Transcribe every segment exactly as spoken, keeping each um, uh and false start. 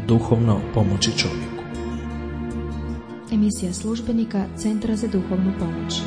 duhovno pomoći čovjeku. Emisija službenika Centra za duhovnu pomoć.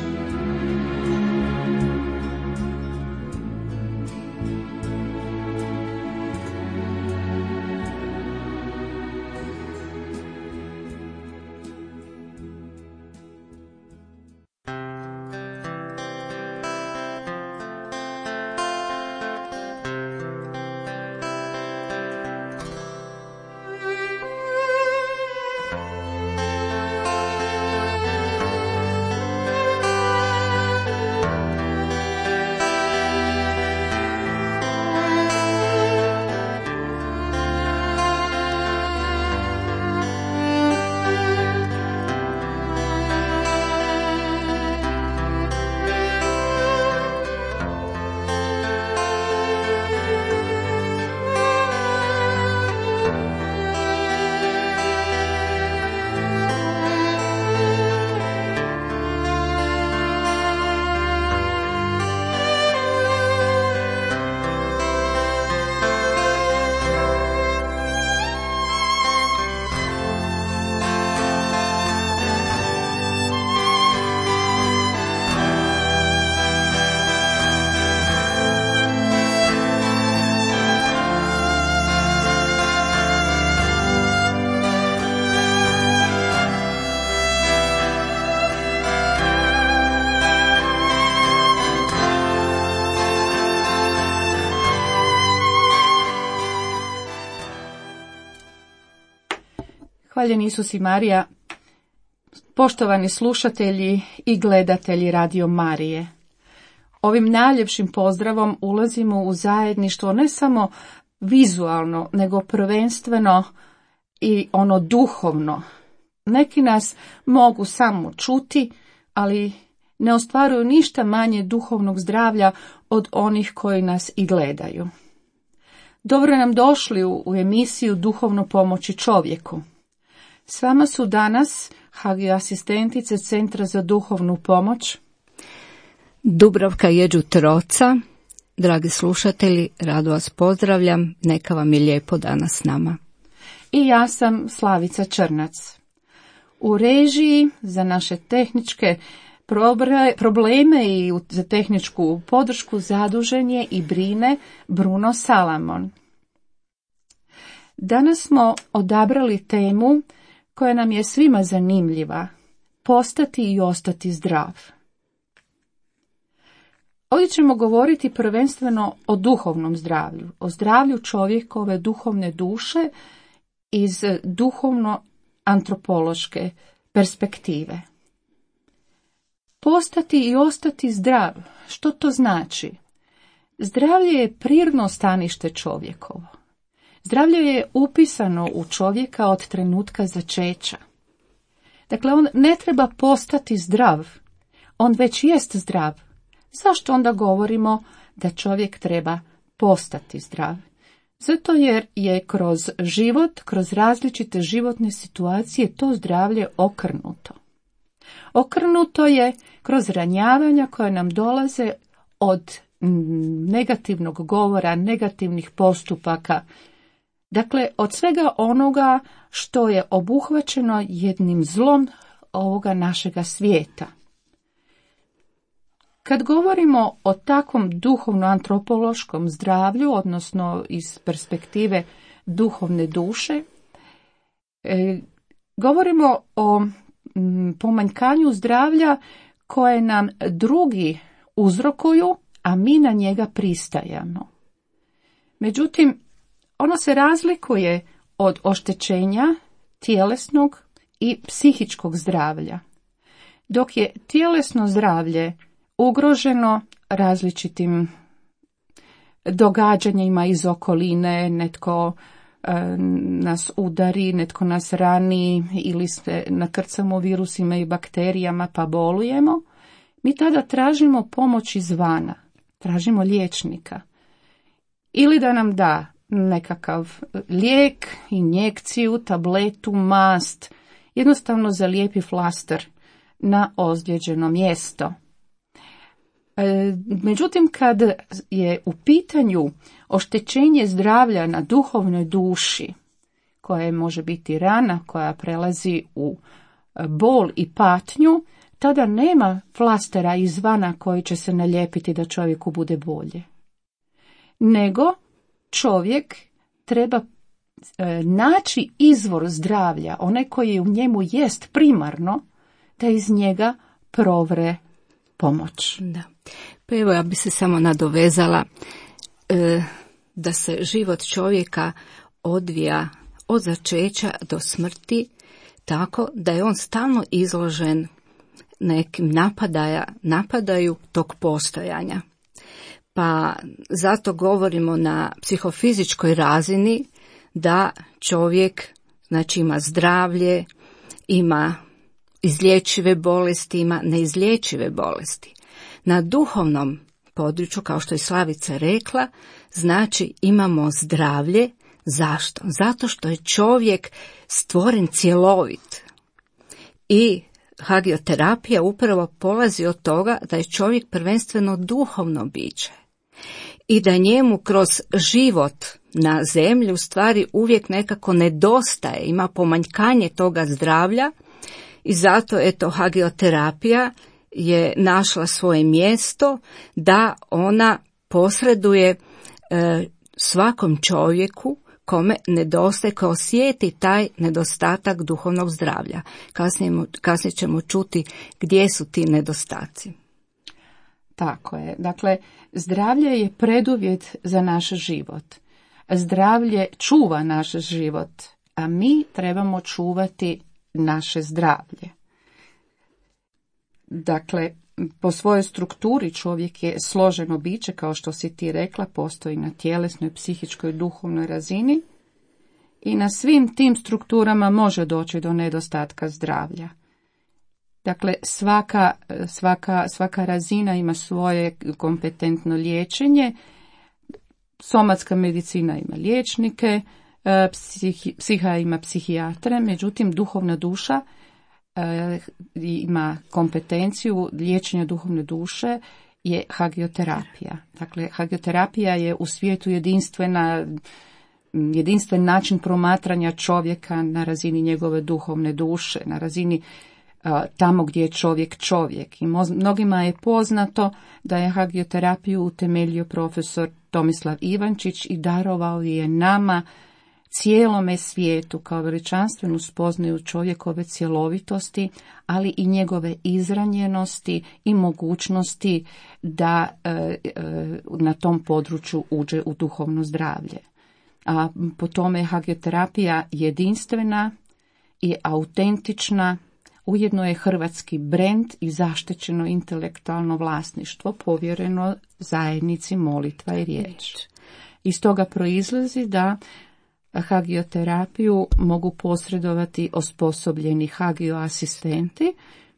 Hvaljen Isus i Marija, poštovani slušatelji i gledatelji Radio Marije. Ovim najljepšim pozdravom ulazimo u zajedništvo ne samo vizualno, nego prvenstveno i ono duhovno. Neki nas mogu samo čuti, ali ne ostvaruju ništa manje duhovnog zdravlja od onih koji nas i gledaju. Dobro nam došli u, u emisiju Duhovno pomoći čovjeku. S vama su danas hagio asistentice Centra za duhovnu pomoć Dubravka Jeđu-Troca. Dragi slušatelji, rado vas pozdravljam, neka vam je lijepo danas s nama. I ja sam Slavica Črnac. U režiji za naše tehničke probleme i za tehničku podršku zadužen je i brine Bruno Salamon. Danas smo odabrali temu koja nam je svima zanimljiva, postati i ostati zdrav. Ovdje ćemo govoriti prvenstveno o duhovnom zdravlju, o zdravlju čovjekove duhovne duše iz duhovno-antropološke perspektive. Postati i ostati zdrav, što to znači? Zdravlje je prirodno stanište čovjekovo. Zdravlje je upisano u čovjeka od trenutka začeća. Dakle, on ne treba postati zdrav, on već jest zdrav. Zašto onda govorimo da čovjek treba postati zdrav? Zato jer je kroz život, kroz različite životne situacije to zdravlje okrnuto. Okrnuto je kroz ranjavanja koja nam dolaze od negativnog govora, negativnih postupaka. Dakle, od svega onoga što je obuhvaćeno jednim zlom ovoga našega svijeta. Kad govorimo o takvom duhovno-antropološkom zdravlju, odnosno iz perspektive duhovne duše, e, govorimo o m, pomanjkanju zdravlja koje nam drugi uzrokuju, a mi na njega pristajemo. Međutim, ono se razlikuje od oštećenja tjelesnog i psihičkog zdravlja. Dok je tjelesno zdravlje ugroženo različitim događanjima iz okoline, netko e, nas udari, netko nas rani ili se nakrcamo virusima i bakterijama pa bolujemo, mi tada tražimo pomoć izvana, tražimo liječnika. Ili da nam da nekakav lijek, injekciju, tabletu, mast, jednostavno zalijepi flaster na ozlijeđeno mjesto. Međutim, kad je u pitanju oštećenje zdravlja na duhovnoj duši, koja može biti rana, koja prelazi u bol i patnju, tada nema flastera izvana koji će se nalijepiti da čovjeku bude bolje. Nego čovjek treba e, naći izvor zdravlja, onaj koji u njemu jest primarno, da iz njega provre pomoć. Da. Pa evo, ja bi se samo nadovezala e, da se život čovjeka odvija od začeća do smrti tako da je on stalno izložen nekim napadaja, napadaju tog postojanja. Pa zato govorimo na psihofizičkoj razini da čovjek, znači, ima zdravlje, ima izlječive bolesti, ima neizlječive bolesti. Na duhovnom području, kao što je Slavica rekla, znači imamo zdravlje. Zašto? Zato što je čovjek stvoren cjelovit. I hagioterapija upravo polazi od toga da je čovjek prvenstveno duhovno biće. I da njemu kroz život na zemlji u stvari uvijek nekako nedostaje, ima pomanjkanje toga zdravlja. I zato, eto, hagioterapija je našla svoje mjesto da ona posreduje e, svakom čovjeku kome nedostaje, ko osjeti taj nedostatak duhovnog zdravlja. Kasnije, kasnije ćemo čuti gdje su ti nedostaci. Tako je. Dakle, zdravlje je preduvjet za naš život. Zdravlje čuva naš život, a mi trebamo čuvati naše zdravlje. Dakle, po svojoj strukturi čovjek je složeno biće, kao što si ti rekla, postoji na tjelesnoj, psihičkoj, duhovnoj razini i na svim tim strukturama može doći do nedostatka zdravlja. Dakle, svaka, svaka, svaka razina ima svoje kompetentno liječenje. Somatska medicina ima liječnike, psihi, psiha ima psihijatre, međutim duhovna duša e, ima kompetenciju liječenja duhovne duše je hagioterapija. Dakle, hagioterapija je u svijetu jedinstvena, jedinstven način promatranja čovjeka na razini njegove duhovne duše, na razini tamo gdje je čovjek čovjek. I mnogima je poznato da je hagioterapiju utemeljio profesor Tomislav Ivančić i darovao je nama, cijelome svijetu, kao veličanstvenu spoznaju čovjekove cjelovitosti, ali i njegove izranjenosti i mogućnosti da e, e, na tom području uđe u duhovno zdravlje. A po tome je hagioterapija jedinstvena i autentična. Ujedno je hrvatski brend i zaštićeno intelektualno vlasništvo povjereno zajednici molitva i riječ. Iz toga proizlazi da hagioterapiju mogu posredovati osposobljeni hagioasistenti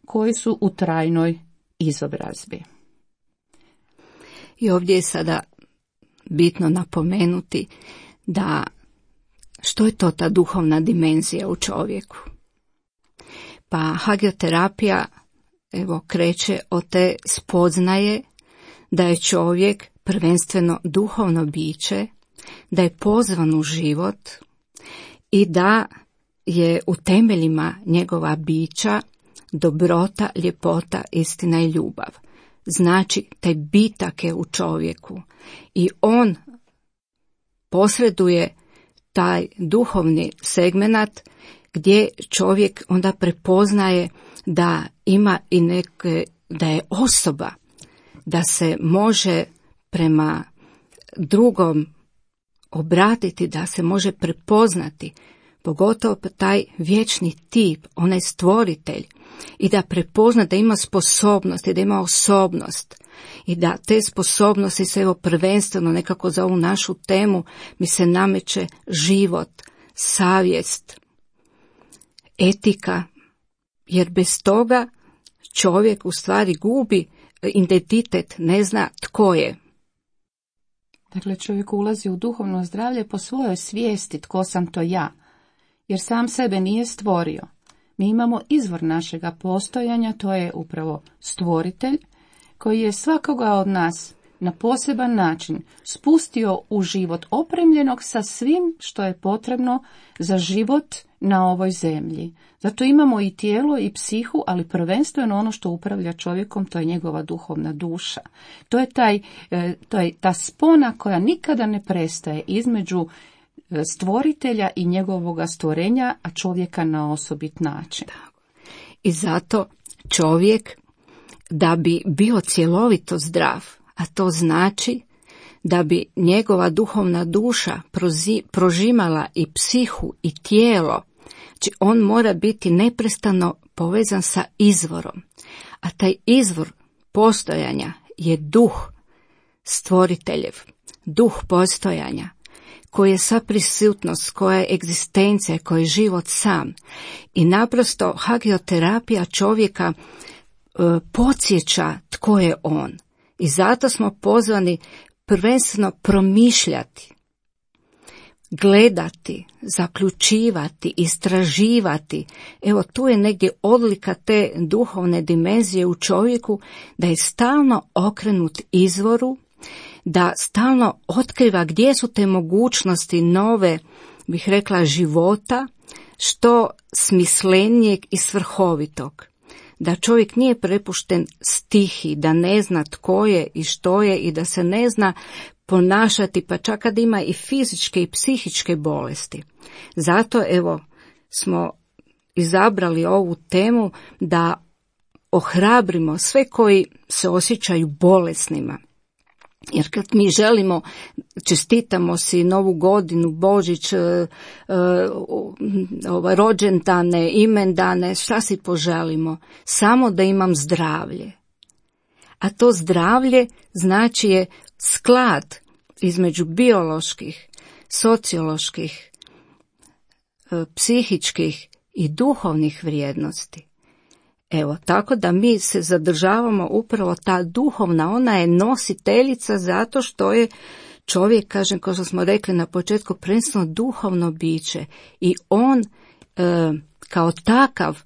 koji su u trajnoj izobrazbi. I ovdje je sada bitno napomenuti da što je to ta duhovna dimenzija u čovjeku. Pa hagioterapija, evo, kreće od te spoznaje da je čovjek prvenstveno duhovno biće, da je pozvan u život i da je u temeljima njegova bića dobrota, ljepota, istina i ljubav. Znači, taj bitak je u čovjeku i on posreduje taj duhovni segmenat gdje čovjek onda prepoznaje da ima i neke, da je osoba, da se može prema drugom obratiti, da se može prepoznati, pogotovo taj vječni tip, onaj stvoritelj, i da prepozna da ima sposobnost i da ima osobnost i da te sposobnosti se, evo, prvenstveno nekako za ovu našu temu mi se nameće život, savjest, etika, jer bez toga čovjek u stvari gubi identitet, ne zna tko je. Dakle, čovjek ulazi u duhovno zdravlje po svojoj svijesti tko sam to ja, jer sam sebe nije stvorio. Mi imamo izvor našega postojanja, to je upravo stvoritelj, koji je svakoga od nas na poseban način spustio u život opremljenog sa svim što je potrebno za život na ovoj zemlji. Zato imamo i tijelo i psihu, ali prvenstveno ono što upravlja čovjekom, to je njegova duhovna duša. To je, taj, to je ta spona koja nikada ne prestaje između stvoritelja i njegovoga stvorenja, a čovjeka na osobit način. I zato čovjek, da bi bio cjelovito zdrav, a to znači da bi njegova duhovna duša prozi, prožimala i psihu i tijelo, znači on mora biti neprestano povezan sa izvorom. A taj izvor postojanja je duh stvoriteljev, duh postojanja, koji je sva prisutnost, koja je egzistencija, koji je život sam. I naprosto hagioterapija čovjeka e, podsjeća tko je on. I zato smo pozvani prvenstveno promišljati, gledati, zaključivati, istraživati. Evo tu je negdje odlika te duhovne dimenzije u čovjeku, da je stalno okrenut izvoru, da stalno otkriva gdje su te mogućnosti nove, bih rekla, života, što smislenijeg i svrhovitog. Da čovjek nije prepušten stihi, da ne zna tko je i što je i da se ne zna ponašati, pa čak kad ima i fizičke i psihičke bolesti. Zato evo smo izabrali ovu temu da ohrabrimo sve koji se osjećaju bolesnima. Jer kad mi želimo, čestitamo si Novu godinu, Božić, e, e, ovaj, rođendane, imendane, šta si poželimo? Samo da imam zdravlje. A to zdravlje znači je sklad između bioloških, socioloških, e, psihičkih i duhovnih vrijednosti. Evo, tako da mi se zadržavamo upravo ta duhovna, ona je nositeljica zato što je čovjek, kažem, kao što smo rekli na početku, prvenstveno duhovno biće i on e, kao takav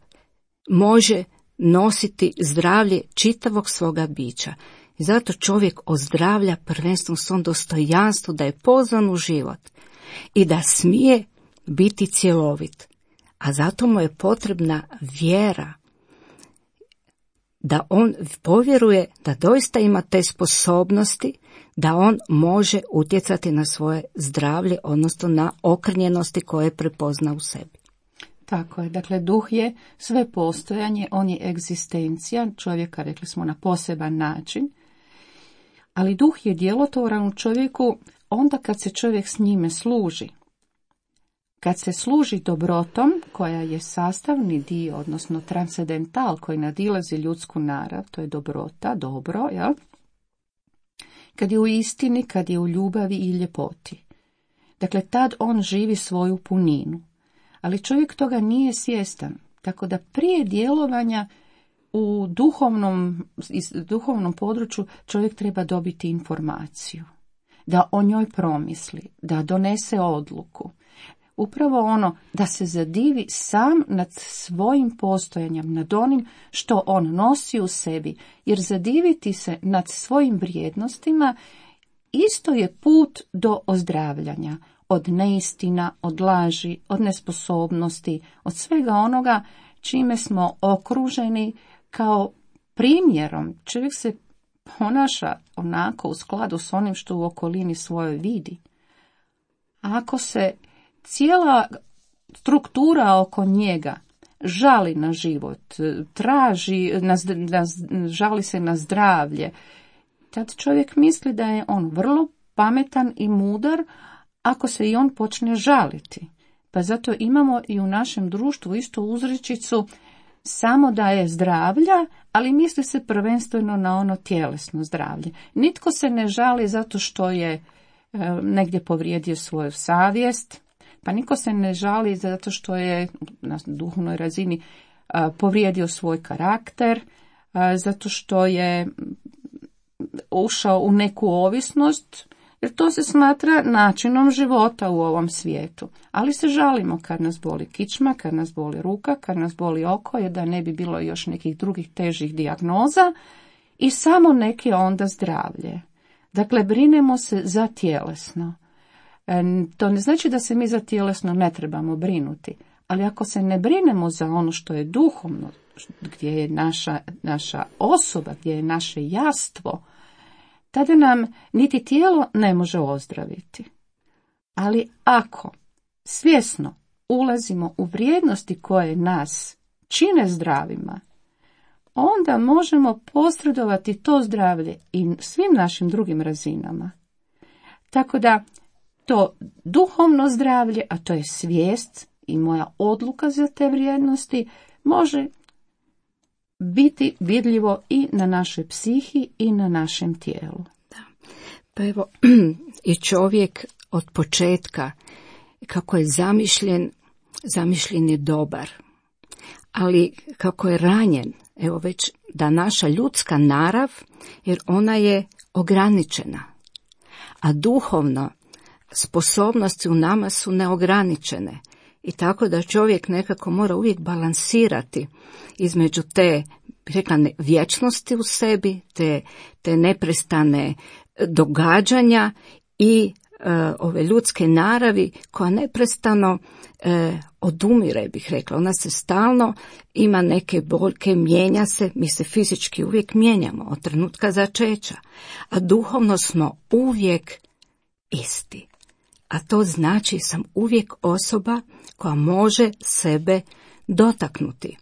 može nositi zdravlje čitavog svoga bića. I zato čovjek ozdravlja prvenstveno svom dostojanstvu, da je pozvan u život i da smije biti cjelovit. A zato mu je potrebna vjera, da on povjeruje da doista ima te sposobnosti, da on može utjecati na svoje zdravlje, odnosno na okrnjenosti koje prepozna u sebi. Tako je, dakle duh je sve postojanje, on je egzistencija čovjeka, rekli smo, na poseban način, ali duh je djelotvoran u čovjeku onda kad se čovjek s njime služi. Kad se služi dobrotom, koja je sastavni dio, odnosno transcendental, koji nadilazi ljudsku narav, to je dobrota, dobro, jel? Kad je u istini, kad je u ljubavi i ljepoti. Dakle, tad on živi svoju puninu. Ali čovjek toga nije svjestan, tako da prije djelovanja u duhovnom, duhovnom području čovjek treba dobiti informaciju, da o njoj promisli, da donese odluku. Upravo ono da se zadivi sam nad svojim postojanjem, nad onim što on nosi u sebi, jer zadiviti se nad svojim vrijednostima isto je put do ozdravljanja, od neistina, od laži, od nesposobnosti, od svega onoga čime smo okruženi kao primjerom. Čovjek se ponaša onako u skladu s onim što u okolini svojoj vidi. Ako se cijela struktura oko njega žali na život, traži, na, na, žali se na zdravlje, tad čovjek misli da je on vrlo pametan i mudar ako se i on počne žaliti. Pa zato imamo i u našem društvu istu uzrečicu samo da je zdravlja, ali misli se prvenstveno na ono tjelesno zdravlje. Nitko se ne žali zato što je e, negdje povrijedio svoju savjest, pa niko se ne žali zato što je na duhovnoj razini a, povrijedio svoj karakter, a, zato što je ušao u neku ovisnost, jer to se smatra načinom života u ovom svijetu. Ali se žalimo kad nas boli kičma, kad nas boli ruka, kad nas boli oko, jer da ne bi bilo još nekih drugih težih dijagnoza i samo neke onda zdravlje. Dakle, brinemo se za tjelesno. E, to ne znači da se mi za tjelesno ne trebamo brinuti, ali ako se ne brinemo za ono što je duhovno, gdje je naša, naša osoba, gdje je naše jastvo, tada nam niti tijelo ne može ozdraviti. Ali ako svjesno ulazimo u vrijednosti koje nas čine zdravima, onda možemo posredovati to zdravlje i svim našim drugim razinama. Tako da to duhovno zdravlje, a to je svijest i moja odluka za te vrijednosti, može biti vidljivo i na našoj psihi i na našem tijelu. Da. Pa evo, i čovjek od početka, kako je zamišljen, zamišljen je dobar. Ali kako je ranjen, evo već da naša ljudska narav, jer ona je ograničena, a duhovno sposobnosti u nama su neograničene. I tako da čovjek nekako mora uvijek balansirati između te, rekla ne, vječnosti u sebi, te, te neprestane događanja i e, ove ljudske naravi koja neprestano e, odumire, bih rekla. Ona se stalno ima neke boljke, mijenja se, mi se fizički uvijek mijenjamo od trenutka začeća, a duhovno smo uvijek isti. A to znači sam uvijek osoba koja može sebe dotaknuti.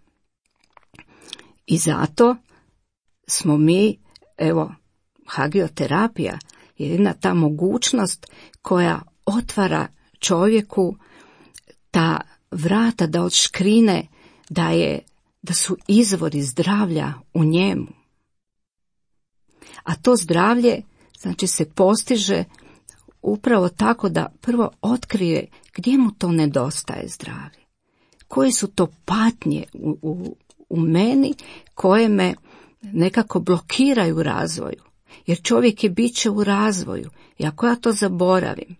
I zato smo mi, evo, hagioterapija, jedina ta mogućnost koja otvara čovjeku ta vrata da odškrine da je, da su izvori zdravlja u njemu. A to zdravlje, znači, se postiže upravo tako da prvo otkrije gdje mu to nedostaje zdravlje. Koje su to patnje u, u, u meni koje me nekako blokiraju u razvoju. Jer čovjek je biće u razvoju i ako ja to zaboravim,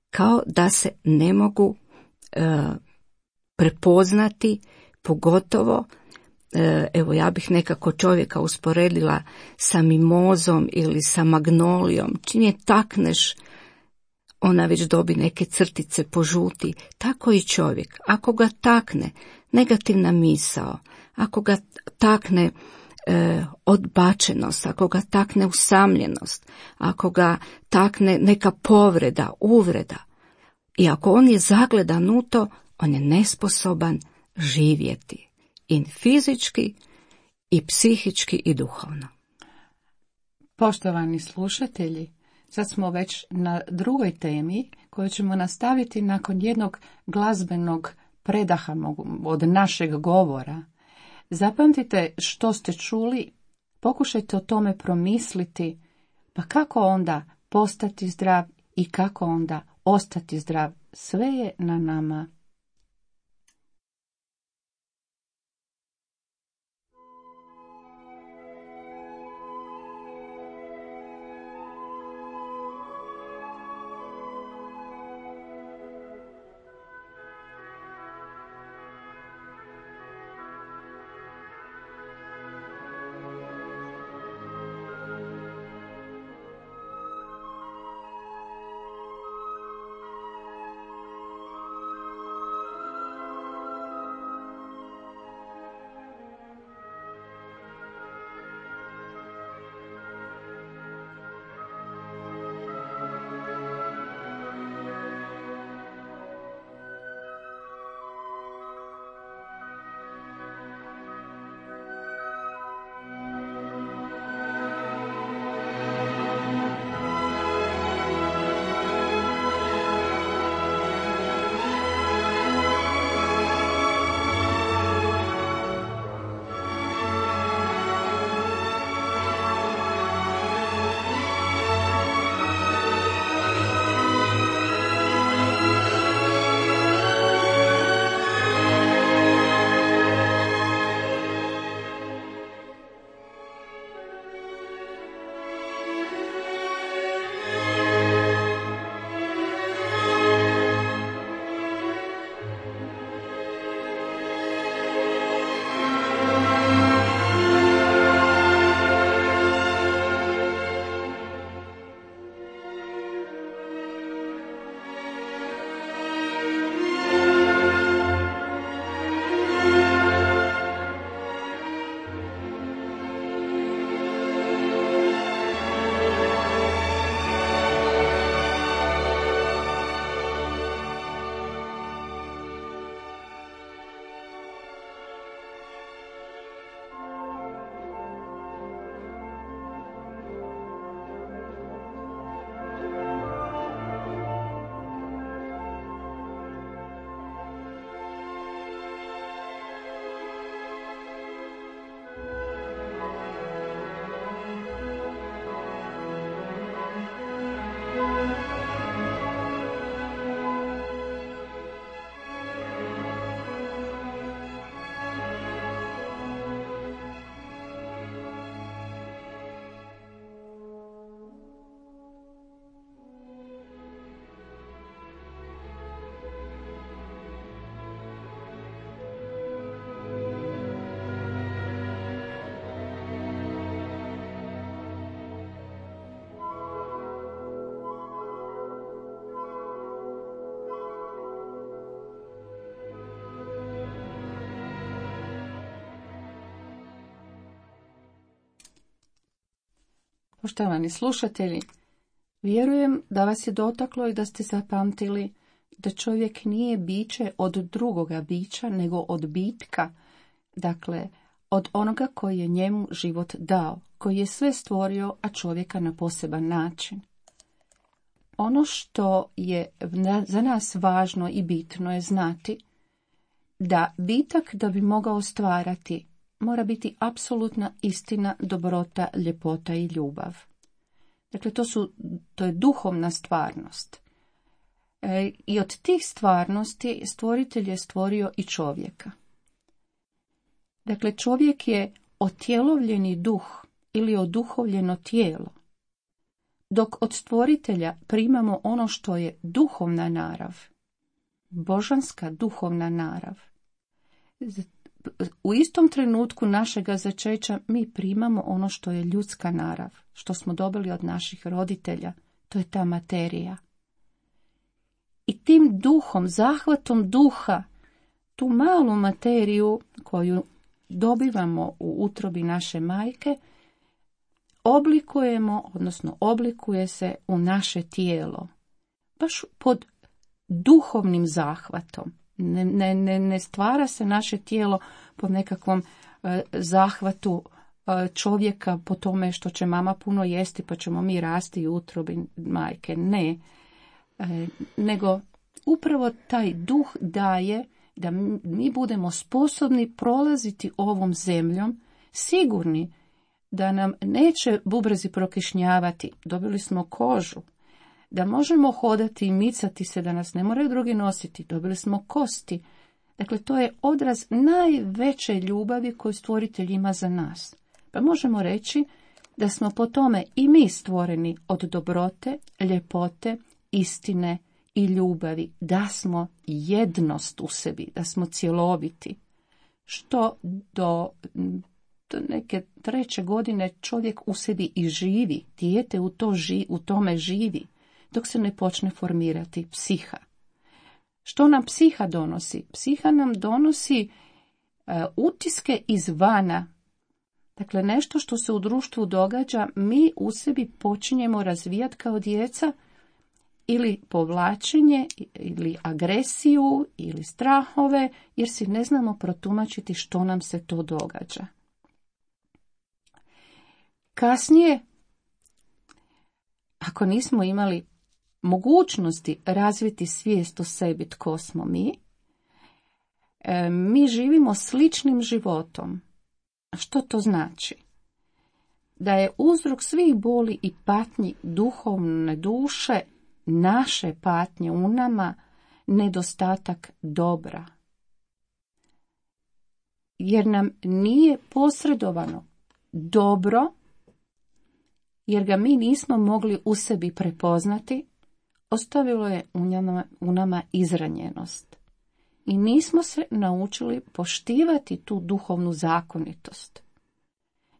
kao da se ne mogu e, prepoznati, pogotovo, e, evo ja bih nekako čovjeka usporedila sa mimozom ili sa magnolijom. Čim je takneš, ona već dobi neke crtice požuti. Tako i čovjek. Ako ga takne negativna misao, ako ga takne e, odbačenost, ako ga takne usamljenost, ako ga takne neka povreda, uvreda, i ako on je zagledan u to, on je nesposoban živjeti. I fizički, i psihički, i duhovno. Poštovani slušatelji, sad smo već na drugoj temi koju ćemo nastaviti nakon jednog glazbenog predaha od našeg govora. Zapamtite što ste čuli, pokušajte o tome promisliti, pa kako onda postati zdrav i kako onda ostati zdrav. Sve je na nama. Poštovani slušatelji, vjerujem da vas je dotaklo i da ste zapamtili da čovjek nije biće od drugoga bića, nego od bitka, dakle, od onoga koji je njemu život dao, koji je sve stvorio, a čovjeka na poseban način. Ono što je za nas važno i bitno je znati da bitak da bi mogao stvarati mora biti apsolutna istina, dobrota, ljepota i ljubav. Dakle, to, su, to je duhovna stvarnost. E, I od tih stvarnosti stvoritelj je stvorio i čovjeka. Dakle, čovjek je otjelovljeni duh ili oduhovljeno tijelo, dok od stvoritelja primamo ono što je duhovna narav, božanska duhovna narav. U istom trenutku našega začeća mi primamo ono što je ljudska narav, što smo dobili od naših roditelja, to je ta materija. I tim duhom, zahvatom duha, tu malu materiju koju dobivamo u utrobi naše majke, oblikujemo, odnosno oblikuje se u naše tijelo, baš pod duhovnim zahvatom. Ne, ne, ne stvara se naše tijelo po nekakvom e, zahvatu e, čovjeka, po tome što će mama puno jesti pa ćemo mi rasti u utrobi majke. Ne, e, nego upravo taj duh daje da mi budemo sposobni prolaziti ovom zemljom, sigurni da nam neće bubrezi prokišnjavati, dobili smo kožu, da možemo hodati i micati se, da nas ne moraju drugi nositi, dobili smo kosti. Dakle, to je odraz najveće ljubavi koju stvoritelj ima za nas. Pa možemo reći da smo po tome i mi stvoreni od dobrote, ljepote, istine i ljubavi, da smo jednost u sebi, da smo cjeloviti. Što do, do neke treće godine čovjek u sebi i živi, dijete u, to ži, u tome živi, dok se ne počne formirati psiha. Što nam psiha donosi? Psiha nam donosi uh, utiske izvana. Dakle, nešto što se u društvu događa, mi u sebi počinjemo razvijati kao djeca, ili povlačenje, ili agresiju, ili strahove, jer si ne znamo protumačiti što nam se to događa. Kasnije, ako nismo imali mogućnosti razviti svijest o sebi tko smo mi, mi živimo sličnim životom. A što to znači? Da je uzrok svih boli i patnji duhovne duše, naše patnje u nama, nedostatak dobra. Jer nam nije posredovano dobro, jer ga mi nismo mogli u sebi prepoznati, ostavilo je u nama, u nama izranjenost. I nismo se naučili poštivati tu duhovnu zakonitost,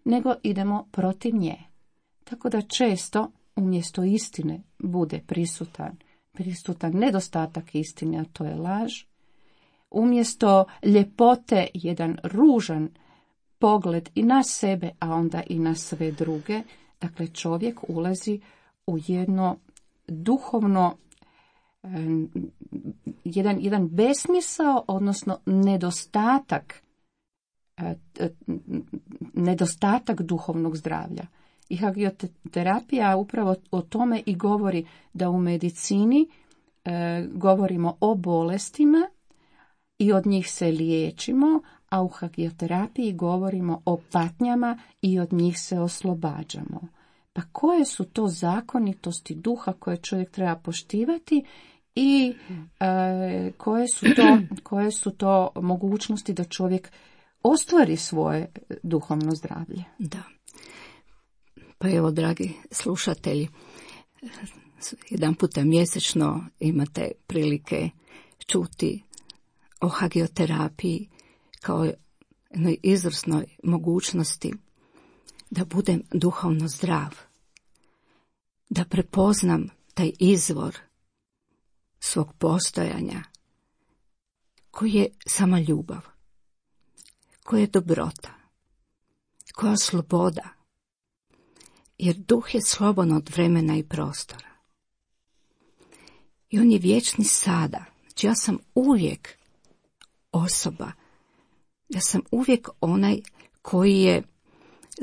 nego idemo protiv nje. Tako da često umjesto istine bude prisutan, prisutan nedostatak istine, a to je laž. Umjesto ljepote jedan ružan pogled i na sebe, a onda i na sve druge. Dakle, čovjek ulazi u jedno duhovno, jedan, jedan besmisao, odnosno nedostatak, nedostatak duhovnog zdravlja. I hagioterapija upravo o tome i govori, da u medicini e, govorimo o bolestima i od njih se liječimo, a u hagioterapiji govorimo o patnjama i od njih se oslobađamo. Pa koje su to zakonitosti duha koje čovjek treba poštivati i e, koje su to, koje su to mogućnosti da čovjek ostvari svoje duhovno zdravlje? Da. Pa evo, dragi slušatelji, jedan puta mjesečno imate prilike čuti o hagioterapiji kao jednoj izvrsnoj mogućnosti da budem duhovno zdrav, da prepoznam taj izvor svog postojanja koji je sama ljubav, koja je dobrota, koja je sloboda, jer duh je slobodan od vremena i prostora. I on je vječni sada. Znači ja sam uvijek osoba. Ja sam uvijek onaj koji je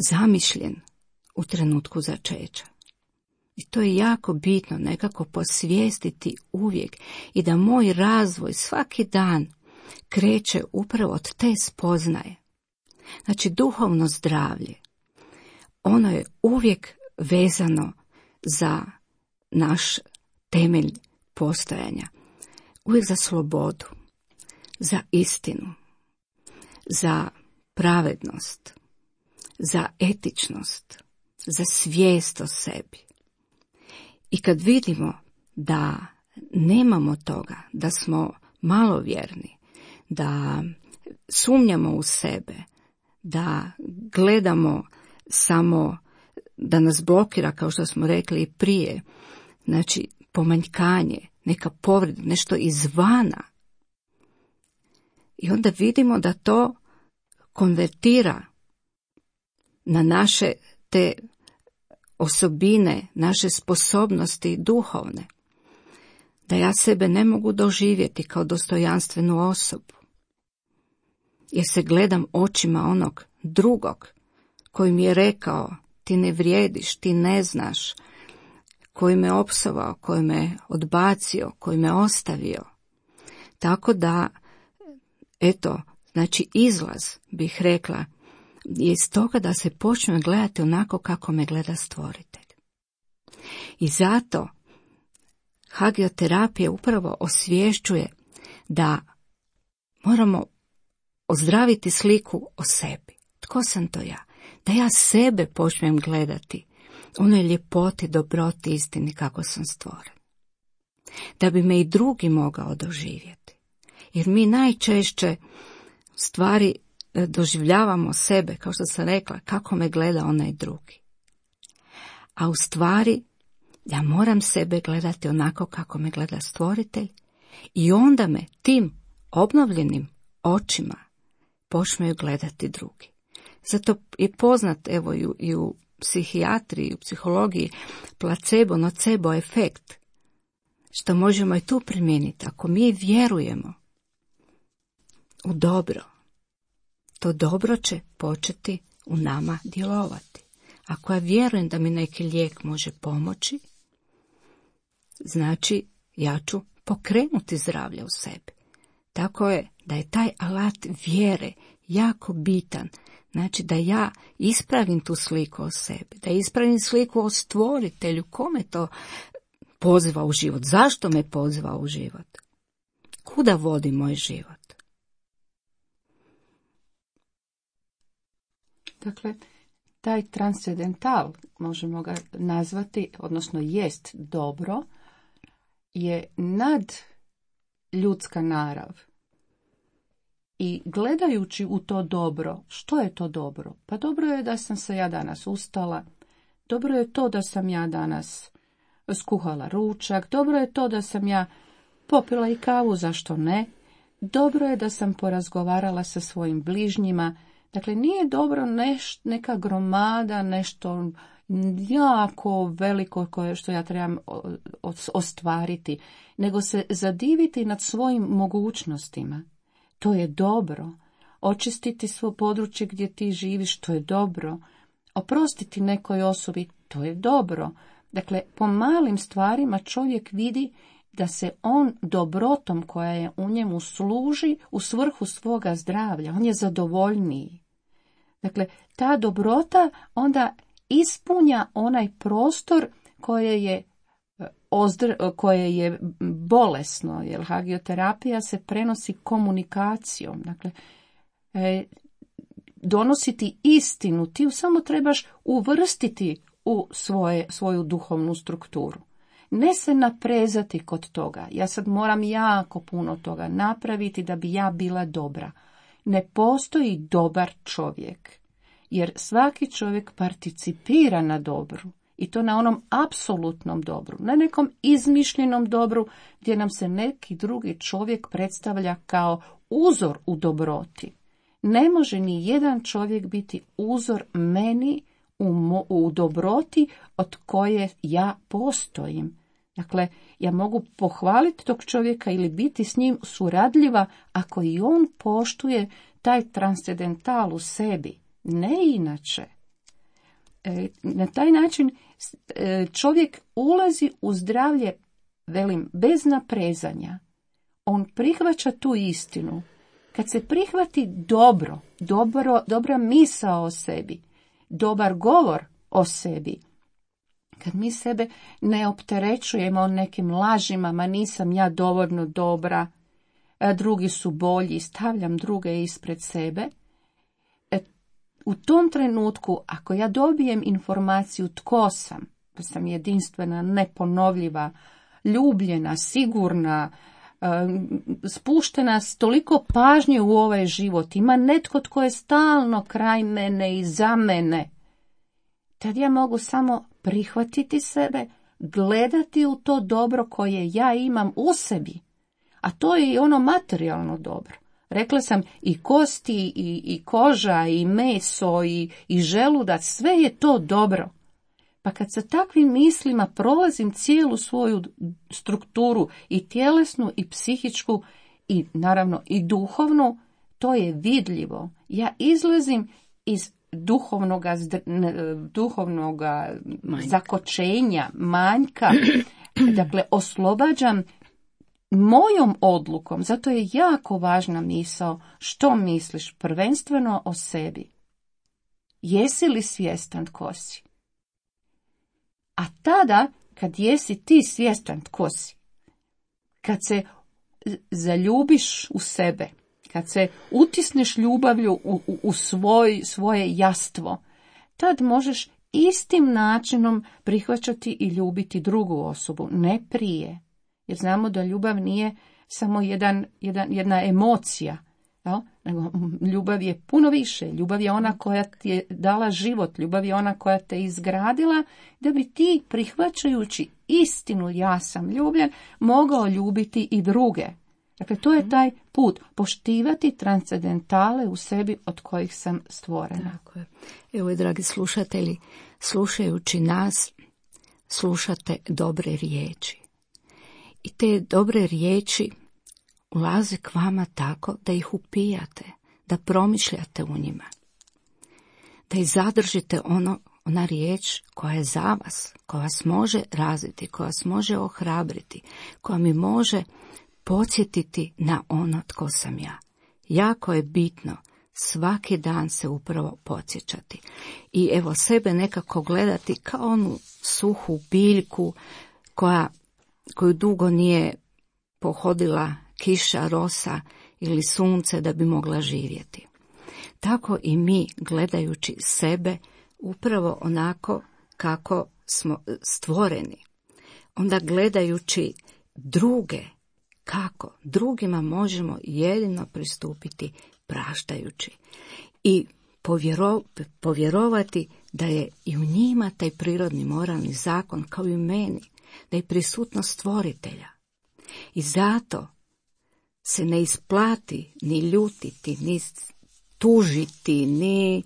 zamišljen u trenutku začeća. I to je jako bitno nekako posvijestiti uvijek i da moj razvoj svaki dan kreće upravo od te spoznaje. Znači duhovno zdravlje, ono je uvijek vezano za naš temelj postojanja. Uvijek za slobodu, za istinu, za pravednost, za etičnost, za svijest o sebi. I kad vidimo da nemamo toga, da smo malovjerni, da sumnjamo u sebe, da gledamo samo da nas blokira, kao što smo rekli i prije, znači pomanjkanje, neka povreda, nešto izvana. I onda vidimo da to konvertira na naše te osobine, naše sposobnosti duhovne. Da ja sebe ne mogu doživjeti kao dostojanstvenu osobu. Jer se gledam očima onog drugog koji mi je rekao ti ne vrijediš, ti ne znaš, koji me opsovao, koji me odbacio, koji me ostavio. Tako da, eto, znači izlaz, bih rekla, je iz toga da se počne gledati onako kako me gleda stvoritelj. I zato hagioterapija upravo osvješćuje da moramo ozdraviti sliku o sebi. Tko sam to ja? Da ja sebe počnem gledati onoj ljepoti, dobroti, istini kako sam stvoren. Da bi me i drugi mogao doživjeti. Jer mi najčešće stvari doživljavamo sebe, kao što sam rekla, kako me gleda onaj drugi. A u stvari, ja moram sebe gledati onako kako me gleda stvoritelj i onda me tim obnovljenim očima počneju gledati drugi. Zato je poznat, evo i u, i u psihijatriji, u psihologiji, placebo, nocebo efekt, što možemo i tu primijeniti. Ako mi vjerujemo u dobro, to dobro će početi u nama djelovati. Ako ja vjerujem da mi neki lijek može pomoći, znači ja ću pokrenuti zdravlje u sebi. Tako je da je taj alat vjere jako bitan. Znači da ja ispravim tu sliku o sebi, da ispravim sliku o stvoritelju, kome to poziva u život, zašto me poziva u život, kuda vodi moj život. Dakle, taj transcendental, možemo ga nazvati, odnosno jest dobro, je nad ljudska narav. I gledajući u to dobro, što je to dobro? Pa dobro je da sam se ja danas ustala, dobro je to da sam ja danas skuhala ručak, dobro je to da sam ja popila i kavu, zašto ne? Dobro je da sam porazgovarala sa svojim bližnjima. Dakle, nije dobro neš, neka gromada, nešto jako veliko koje što ja trebam ostvariti, nego se zadiviti nad svojim mogućnostima. To je dobro. Očistiti svo područje gdje ti živiš, to je dobro. Oprostiti nekoj osobi, to je dobro. Dakle, po malim stvarima čovjek vidi da se on dobrotom koja je u njemu služi u svrhu svoga zdravlja. On je zadovoljniji. Dakle, ta dobrota onda ispunja onaj prostor koje je ozdr, koje je bolesno, jer hagioterapija se prenosi komunikacijom. Dakle, e, donositi istinu, ti ju samo trebaš uvrstiti u svoje, svoju duhovnu strukturu. Ne se naprezati kod toga. Ja sad moram jako puno toga napraviti da bi ja bila dobra. Ne postoji dobar čovjek, jer svaki čovjek participira na dobru. I to na onom apsolutnom dobru, na nekom izmišljenom dobru gdje nam se neki drugi čovjek predstavlja kao uzor u dobroti. Ne može ni jedan čovjek biti uzor meni u, mo, u dobroti od koje ja postojim. Dakle, ja mogu pohvaliti tog čovjeka ili biti s njim suradljiva ako i on poštuje taj transcendental u sebi, ne inače. E, na taj način e, čovjek ulazi u zdravlje, velim, bez naprezanja. On prihvaća tu istinu. Kad se prihvati dobro, dobro, dobra misao o sebi, dobar govor o sebi, kad mi sebe ne opterećujemo nekim lažima, ma nisam ja dovoljno dobra, drugi su bolji, stavljam druge ispred sebe, e, u tom trenutku, ako ja dobijem informaciju tko sam, da sam jedinstvena, neponovljiva, ljubljena, sigurna, spuštena s toliko pažnje u ovaj život, ima netko tko je stalno kraj mene i za mene, tad ja mogu samo prihvatiti sebe, gledati u to dobro koje ja imam u sebi, a to je i ono materijalno dobro. Rekla sam i kosti, i, i koža, i meso, i, i želudac, sve je to dobro. Pa kad sa takvim mislima prolazim cijelu svoju strukturu, i tjelesnu, i psihičku, i naravno i duhovnu, to je vidljivo. Ja izlazim iz duhovnoga, duhovnoga manjka. zakočenja, manjka, dakle oslobađam mojom odlukom. Zato je jako važna misao što misliš prvenstveno o sebi. Jesi li svjestan tko si? A tada, kad jesi ti svjestan tko si, kad se zaljubiš u sebe, kad se utisneš ljubavlju u, u, u svoj, svoje jastvo, tad možeš istim načinom prihvaćati i ljubiti drugu osobu, ne prije. Jer znamo da ljubav nije samo jedan, jedan, jedna emocija, ja? Nego ljubav je puno više. Ljubav je ona koja ti je dala život, ljubav je ona koja te izgradila, da bi ti, prihvaćajući istinu ja sam ljubljen, mogao ljubiti i druge. Dakle, to je taj put, poštivati transcendentale u sebi od kojih sam stvorena. Tako je. Evo, dragi slušatelji, slušajući nas, slušate dobre riječi. I te dobre riječi ulaze k vama tako da ih upijate, da promišljate u njima, da ih zadržite ono, ona riječ koja je za vas, koja vas može razviti, koja vas može ohrabriti, koja mi može podsjetiti na ono tko sam ja. Jako je bitno svaki dan se upravo podsjećati i evo sebe nekako gledati kao onu suhu biljku koja, koju dugo nije pohodila kiša, rosa ili sunce da bi mogla živjeti. Tako i mi, gledajući sebe upravo onako kako smo stvoreni, onda gledajući druge, kako drugima možemo jedino pristupiti praštajući i povjero, povjerovati da je i u njima taj prirodni moralni zakon kao i u meni, da je prisutnost stvoritelja. I zato se ne isplati ni ljutiti, ni tužiti, ni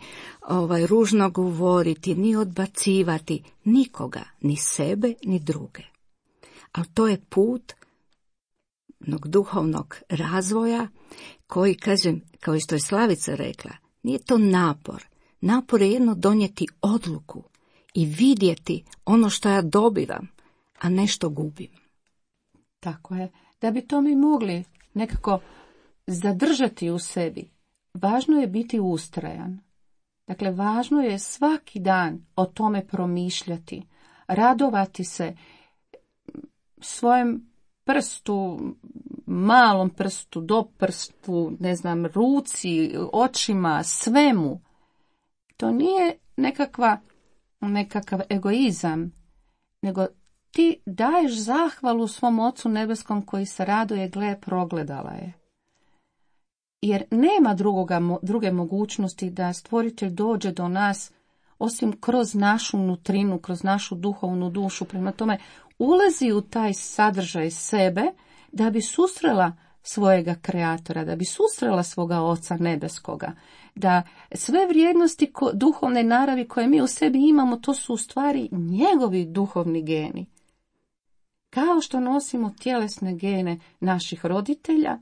ovaj, ružno govoriti, ni odbacivati nikoga, ni sebe, ni druge. Ali to je put jednog duhovnog razvoja koji, kažem, kao što je Slavica rekla, nije to napor. Napor je jedno donijeti odluku i vidjeti ono što ja dobivam, a nešto gubim. Tako je. Da bi to mi mogli nekako zadržati u sebi, važno je biti ustrajan. Dakle, važno je svaki dan o tome promišljati, radovati se svojem prstu, malom prstu, do prstu, ne znam, ruci, očima, svemu. To nije nekakva, nekakav egoizam, nego ti daješ zahvalu svom Ocu nebeskom koji se raduje, gle, progledala je. Jer nema drugoga, druge mogućnosti da stvoritelj dođe do nas osim kroz našu nutrinu, kroz našu duhovnu dušu. Prema tome, ulazi u taj sadržaj sebe da bi susrela svojega kreatora, da bi susrela svoga Oca nebeskoga, da sve vrijednosti ko, duhovne naravi koje mi u sebi imamo, to su u stvari njegovi duhovni geni. Kao što nosimo tjelesne gene naših roditelja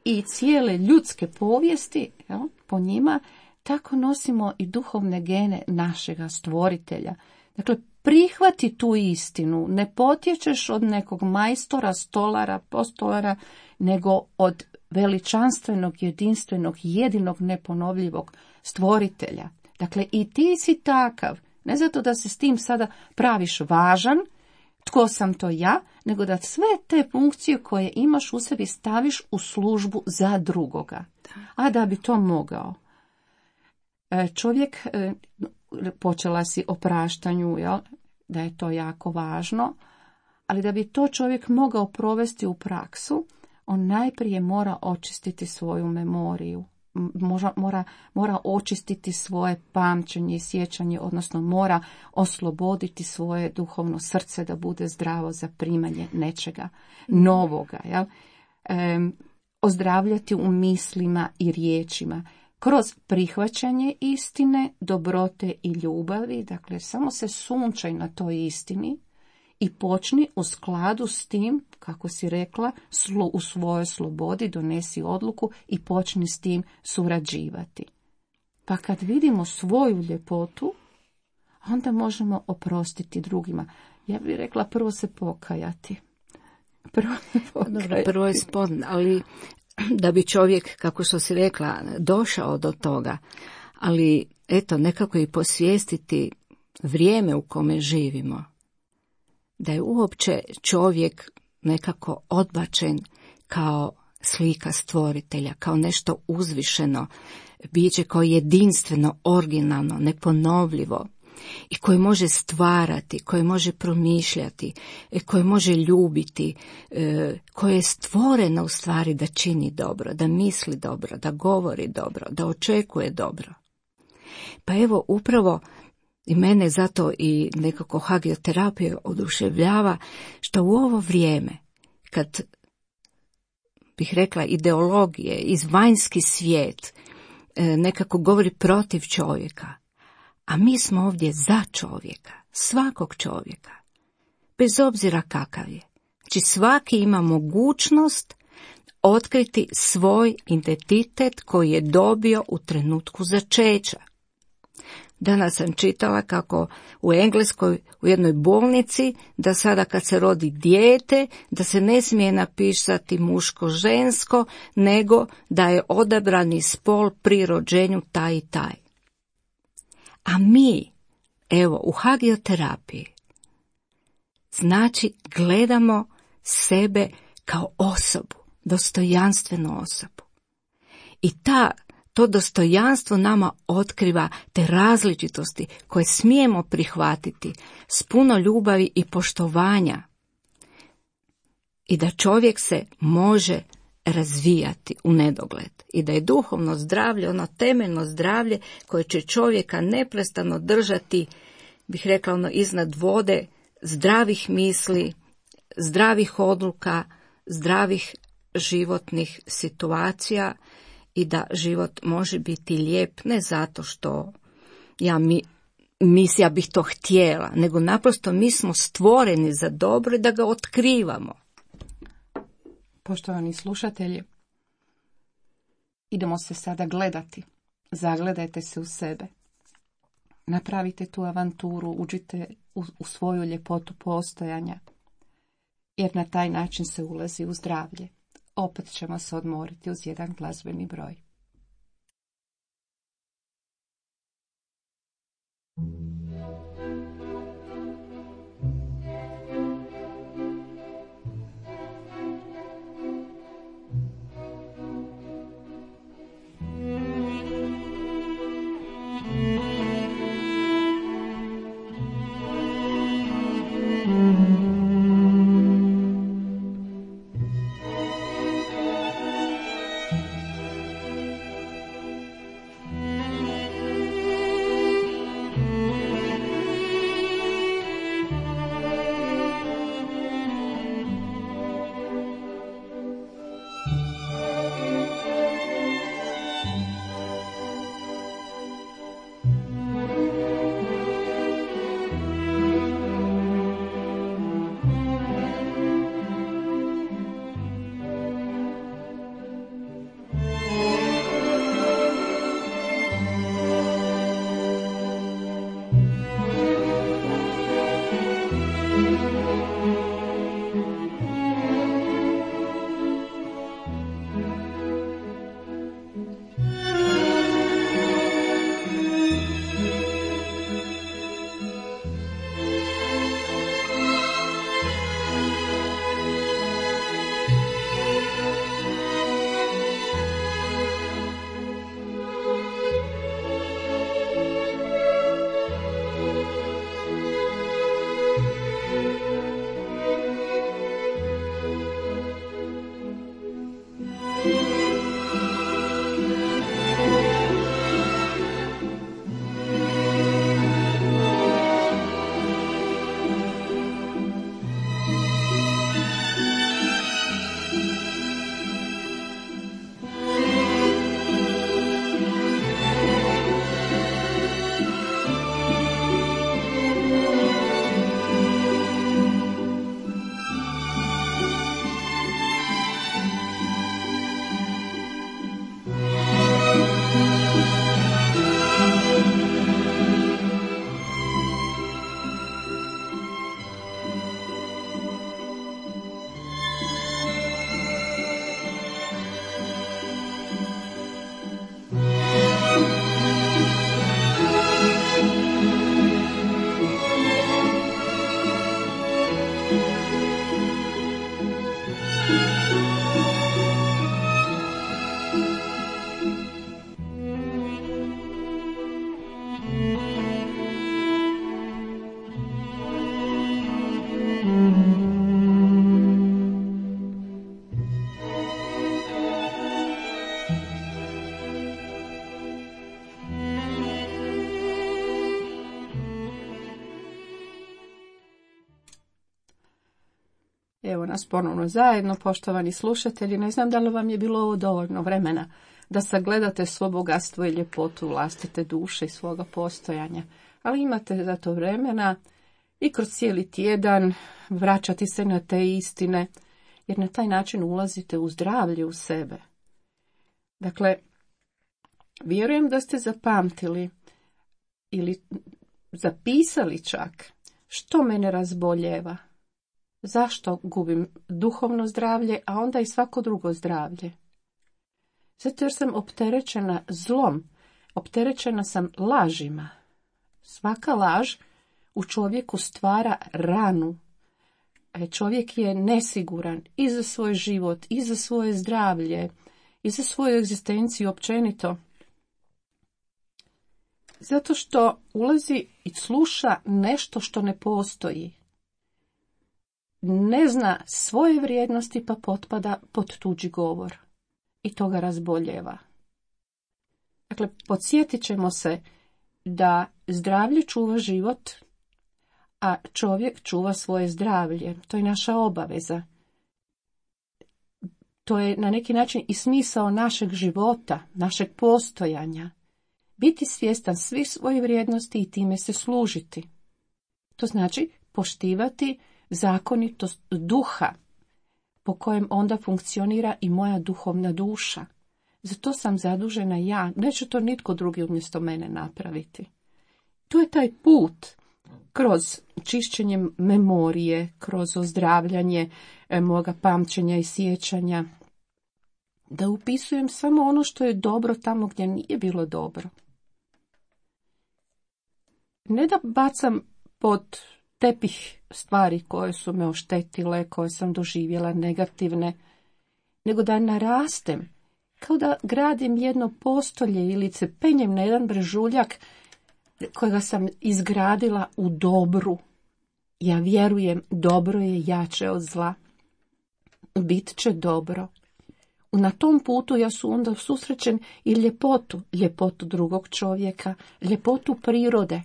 i cijele ljudske povijesti, jel, po njima, tako nosimo i duhovne gene našega stvoritelja. Dakle, prihvati tu istinu, ne potječeš od nekog majstora, stolara, postolara, nego od veličanstvenog, jedinstvenog, jedinog, neponovljivog stvoritelja. Dakle, i ti si takav, ne zato da se s tim sada praviš važan, tko sam to ja, nego da sve te funkcije koje imaš u sebi staviš u službu za drugoga. A da bi to mogao, čovjek, počela si o praštanju, jel, da je to jako važno, ali da bi to čovjek mogao provesti u praksu, on najprije mora očistiti svoju memoriju, mora, mora, mora očistiti svoje pamćenje i sjećanje, odnosno mora osloboditi svoje duhovno srce da bude zdravo za primanje nečega novoga, jel? E, ozdravljati u mislima i riječima, kroz prihvaćanje istine, dobrote i ljubavi, dakle samo se sunčaj na toj istini i počni u skladu s tim, kako si rekla, u svojoj slobodi donesi odluku i počni s tim surađivati. Pa kad vidimo svoju ljepotu, onda možemo oprostiti drugima. Ja bih rekla prvo se pokajati. Prvo, pokajati. Dobro, prvo je spon, ali da bi čovjek, kako što si rekla, došao do toga, ali eto, nekako i posvijestiti vrijeme u kome živimo, da je uopće čovjek nekako odbačen kao slika stvoritelja, kao nešto uzvišeno, biće kao jedinstveno, originalno, neponovljivo, i koje može stvarati, koje može promišljati, koje može ljubiti, koje je stvoreno u stvari da čini dobro, da misli dobro, da govori dobro, da očekuje dobro. Pa evo, upravo i mene zato i nekako hagioterapija oduševljava, što u ovo vrijeme, kad bih rekla ideologije, izvanjski svijet nekako govori protiv čovjeka, a mi smo ovdje za čovjeka, svakog čovjeka, bez obzira kakav je. Znači svaki ima mogućnost otkriti svoj identitet koji je dobio u trenutku začeća. Danas sam čitala kako u Engleskoj u jednoj bolnici da sada kad se rodi dijete da se ne smije napisati muško-žensko, nego da je odabrani spol pri rođenju taj i taj. A mi, evo, u hagioterapiji, znači gledamo sebe kao osobu, dostojanstvenu osobu. I ta, to dostojanstvo nama otkriva te različitosti koje smijemo prihvatiti s puno ljubavi i poštovanja. I da čovjek se može razvijati u nedogled. I da je duhovno zdravlje, ono temeljno zdravlje koje će čovjeka neprestano držati, bih rekla, ono iznad vode, zdravih misli, zdravih odluka, zdravih životnih situacija, i da život može biti lijep ne zato što ja mi, mis, ja bih to htjela, nego naprosto mi smo stvoreni za dobro i da ga otkrivamo. Poštovani slušatelji, idemo se sada gledati. Zagledajte se u sebe. Napravite tu avanturu, uđite u, u svoju ljepotu postojanja, jer na taj način se ulazi u zdravlje. Opet ćemo se odmoriti uz jedan glazbeni broj. Evo nas ponovno zajedno, poštovani slušatelji. Ne znam da li vam je bilo ovo dovoljno vremena da sagledate svo bogatstvo i ljepotu vlastite duše i svoga postojanja. Ali imate za to vremena i kroz cijeli tjedan vraćati se na te istine, jer na taj način ulazite u zdravlje u sebe. Dakle, vjerujem da ste zapamtili ili zapisali čak što mene razboljeva, zašto gubim duhovno zdravlje, a onda i svako drugo zdravlje. Zato jer sam opterećena zlom, opterećena sam lažima. Svaka laž u čovjeku stvara ranu. Čovjek je nesiguran i za svoj život, i za svoje zdravlje, i za svoju egzistenciju općenito. Zato što ulazi i sluša nešto što ne postoji. Ne zna svoje vrijednosti pa potpada pod tuđi govor. I to ga razboljeva. Dakle, podsjetit ćemo se da zdravlje čuva život, a čovjek čuva svoje zdravlje. To je naša obaveza. To je na neki način i smisao našeg života, našeg postojanja. Biti svjestan svih svojih vrijednosti i time se služiti. To znači poštivati zakonitost duha, po kojem onda funkcionira i moja duhovna duša. Zato sam zadužena ja, neće to nitko drugi umjesto mene napraviti. To je taj put kroz čišćenje memorije, kroz ozdravljanje e, moga pamćenja i sjećanja, da upisujem samo ono što je dobro tamo gdje nije bilo dobro. Ne da bacam pod tepih stvari koje su me oštetile, koje sam doživjela negativne, nego da narastem, kao da gradim jedno postolje ili se penjem na jedan brežuljak kojega sam izgradila u dobru. Ja vjerujem, dobro je jače od zla. Bit će dobro. Na tom putu ja su onda susrećen i ljepotu, ljepotu drugog čovjeka, ljepotu prirode.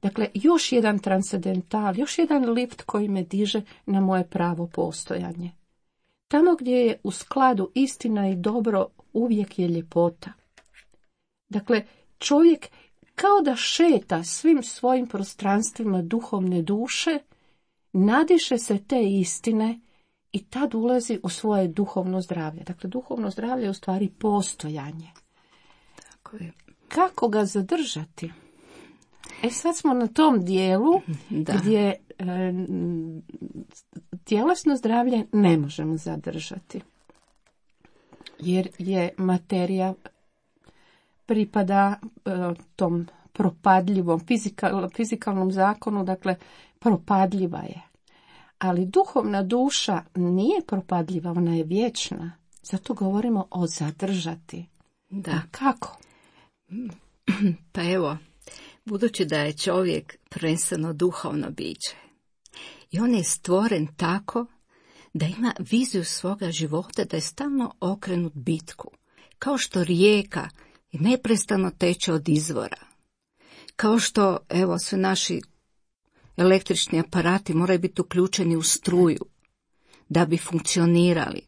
Dakle, još jedan transcendental, još jedan lift koji me diže na moje pravo postojanje. Tamo gdje je u skladu istina i dobro, uvijek je ljepota. Dakle, čovjek kao da šeta svim svojim prostranstvima duhovne duše, nadiše se te istine i tad ulazi u svoje duhovno zdravlje. Dakle, duhovno zdravlje je u stvari postojanje. Tako je. Kako ga zadržati? E sad smo na tom dijelu da. gdje e, tjelesno zdravlje ne možemo zadržati. Jer je materija pripada e, tom propadljivom fizikal, fizikalnom zakonu, dakle propadljiva je. Ali duhovna duša nije propadljiva, ona je vječna. Zato govorimo o zadržati. Da. A kako? Pa evo, budući da je čovjek prvenstveno duhovno biće i on je stvoren tako da ima viziju svoga života, da je stalno okrenut bitku, kao što rijeka neprestano teče od izvora, kao što, evo, sve naši električni aparati moraju biti uključeni u struju da bi funkcionirali.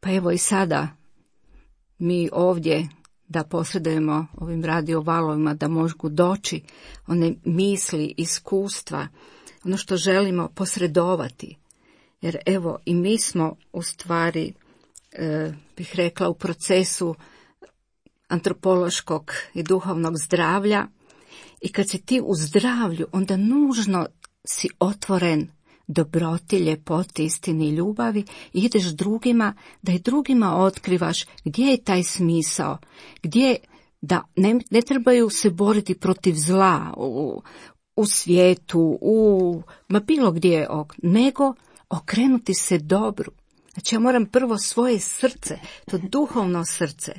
Pa evo i sada mi ovdje da posredujemo ovim radio valovima, da mogu doći one misli, iskustva, ono što želimo posredovati. Jer evo i mi smo u stvari, e, bih rekla, u procesu antropološkog i duhovnog zdravlja. I kad si ti u zdravlju, onda nužno si otvoren dobroti, ljepoti, istini i ljubavi i ideš drugima, da i drugima otkrivaš gdje je taj smisao, gdje da ne, ne trebaju se boriti protiv zla u, u svijetu, u ma bilo gdje, nego okrenuti se dobru. Znači ja moram prvo svoje srce, to duhovno srce,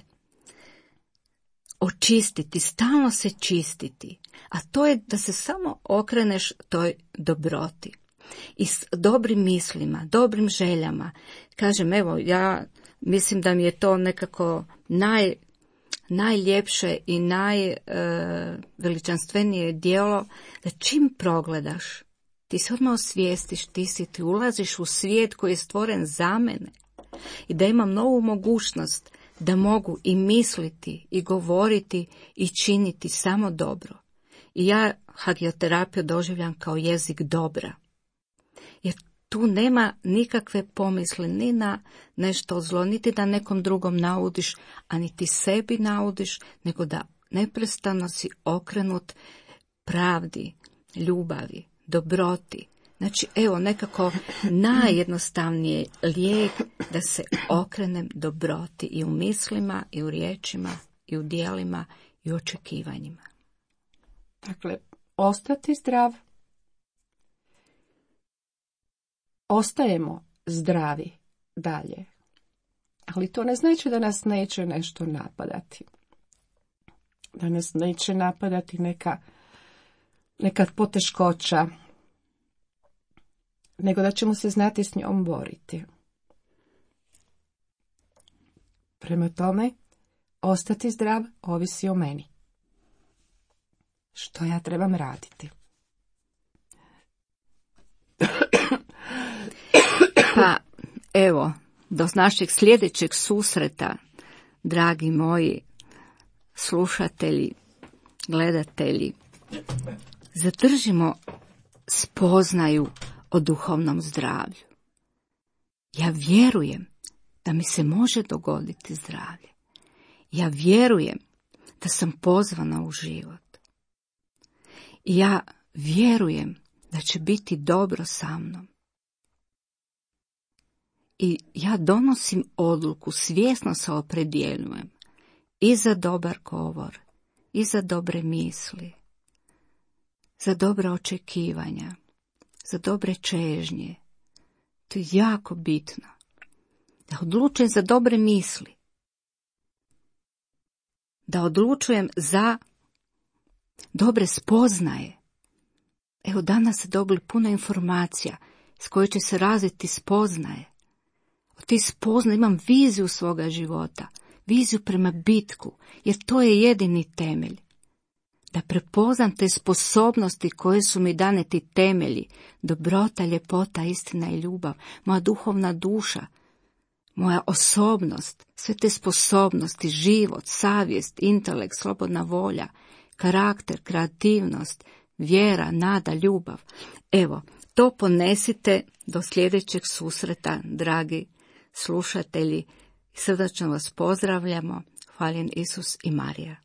očistiti, stalno se čistiti, a to je da se samo okreneš toj dobroti. I s dobrim mislima, dobrim željama. Kažem, evo, ja mislim da mi je to nekako naj, najljepše i najveličanstvenije e, djelo, da čim progledaš, ti se odmah osvijestiš, ti si, ti ulaziš u svijet koji je stvoren za mene i da imam novu mogućnost da mogu i misliti, i govoriti, i činiti samo dobro. I ja hagioterapiju doživljam kao jezik dobra. Jer tu nema nikakve pomisli ni na nešto zlo, niti da nekom drugom naudiš, a niti sebi naudiš, nego da neprestano si okrenut pravdi, ljubavi, dobroti. Znači, evo, nekako najjednostavnije lijek da se okrenem dobroti i u mislima, i u riječima, i u djelima, i u očekivanjima. Dakle, ostati zdrav. Ostajemo zdravi dalje. Ali to ne znači da nas neće nešto napadati. Da nas neće napadati neka, neka poteškoća, nego da ćemo se znati s njom boriti. Prema tome, ostati zdrav ovisi o meni. Što ja trebam raditi? Pa, evo, do našeg sljedećeg susreta, dragi moji slušatelji, gledatelji, zadržimo spoznaju o duhovnom zdravlju. Ja vjerujem da mi se može dogoditi zdravlje. Ja vjerujem da sam pozvana u život. I ja vjerujem da će biti dobro sa mnom. I ja donosim odluku, svjesno se opredjeljujem i za dobar govor, i za dobre misli, za dobra očekivanja, za dobre čežnje. To je jako bitno. Da odlučujem za dobre misli. Da odlučujem za dobre spoznaje. Evo, danas ste dobili puno informacija s koje će se razviti spoznaje. Od tih spoznaja imam viziju svoga života, viziju prema bitku, jer to je jedini temelj. Da prepoznam te sposobnosti koje su mi dane, ti temelji, dobrota, ljepota, istina i ljubav, moja duhovna duša, moja osobnost, sve te sposobnosti, život, savjest, intelekt, slobodna volja, karakter, kreativnost, vjera, nada, ljubav. Evo, to ponesite do sljedećeg susreta, dragi slušatelji. Srdačno vas pozdravljamo. Hvaljen Isus i Marija.